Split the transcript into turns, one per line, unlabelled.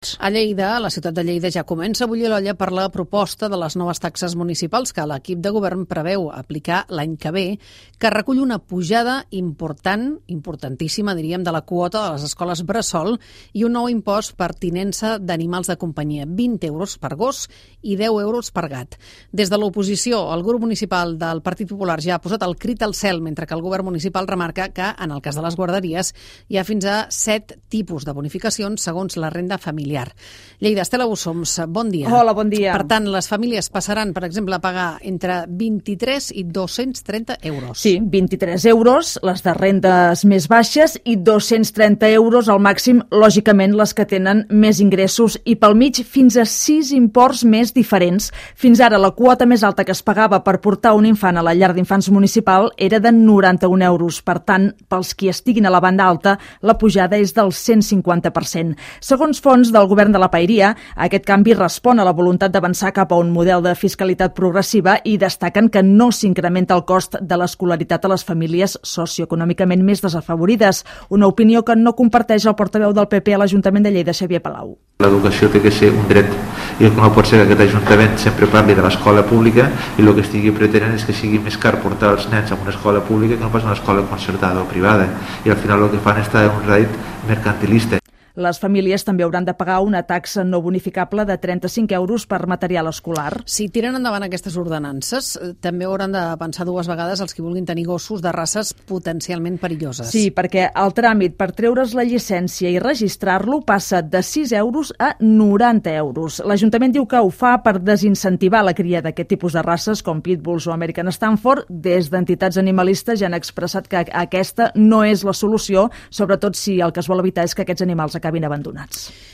A Lleida, la ciutat de Lleida ja comença a bullir l'olla per la proposta de les noves taxes municipals que l'equip de govern preveu aplicar l'any que ve, que recull una pujada importantíssima, diríem, de la quota de les escoles bressol i un nou impost per tinença d'animals de companyia, 20 euros per gos i 10 euros per gat. Des de l'oposició, el grup municipal del Partit Popular ja ha posat el crit al cel, mentre que el govern municipal remarca que, en el cas de les guarderies, hi ha fins a 7 tipus de bonificacions segons la renda familiar. Lleida, Estela Bussoms, bon dia.
Hola, bon dia.
Per tant, les famílies passaran, per exemple, a pagar entre 23 i 230 euros.
Sí, 23 euros, les de rendes més baixes, i 230 euros al màxim, lògicament, les que tenen més ingressos, i pel mig fins a 6 imports més diferents. Fins ara, la quota més alta que es pagava per portar un infant a la llar d'infants municipal era de 91 euros. Per tant, pels qui estiguin a la banda alta, la pujada és del 150%. Segons fons del govern de la Paeria, aquest canvi respon a la voluntat d'avançar cap a un model de fiscalitat progressiva i destaquen que no s'incrementa el cost de l'escolaritat a les famílies socioeconòmicament més desafavorides. Una opinió que no comparteix el portaveu del PP a l'Ajuntament de Lleida, Xavier Palau.
L'educació té que ser un dret i no pot ser que aquest Ajuntament sempre parli de l'escola pública i el que estigui pretenent és que sigui més car portar els nens a una escola pública que no pas a una escola concertada o privada, i al final el que fan és un rèdit mercantilista.
Les famílies també hauran de pagar una taxa no bonificable de 35 euros per material escolar.
Si tiren endavant aquestes ordenances, també hauran de pensar dues vegades els que vulguin tenir gossos de races potencialment perilloses.
Sí, perquè el tràmit per treure's la llicència i registrar-lo passa de 6 euros a 90 euros. L'Ajuntament diu que ho fa per desincentivar la cria d'aquest tipus de races, com Pitbulls o American Stanford. Des d'entitats animalistes ja han expressat que aquesta no és la solució, sobretot si el que es vol evitar és que aquests animals acabin abandonats.